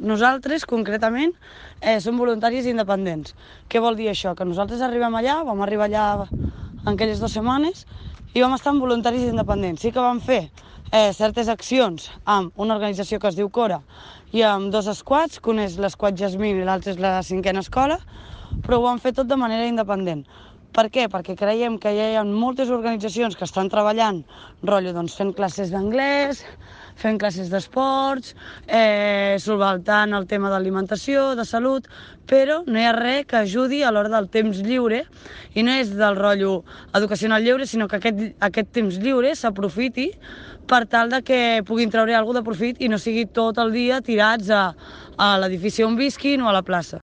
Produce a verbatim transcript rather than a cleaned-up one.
nosaltres, concretament, eh, som voluntaris independents. Què vol dir això? Que nosaltres arribem allà, vam arribar allà en aquelles dues setmanes i vam estar amb voluntaris independents. Sí que vam fer eh, certes accions amb una organització que es diu Cora i amb dos squads, que un és l'esquad Jasmine i l'altre és la cinquena escola, però ho vam fer tot de manera independent. Per què? Perquè creiem que ja hi ha moltes organitzacions que estan treballant, rotllo, doncs, fent classes d'anglès, fent classes d'esports, eh, solventant el tema d'alimentació, de salut, però no hi ha res que ajudi a l'hora del temps lliure, i no és del rotllo educacional lliure, sinó que aquest, aquest temps lliure s'aprofiti per tal de que puguin treure alguna cosa de profit i no sigui tot el dia tirats a, a l'edifici on visquin o a la plaça.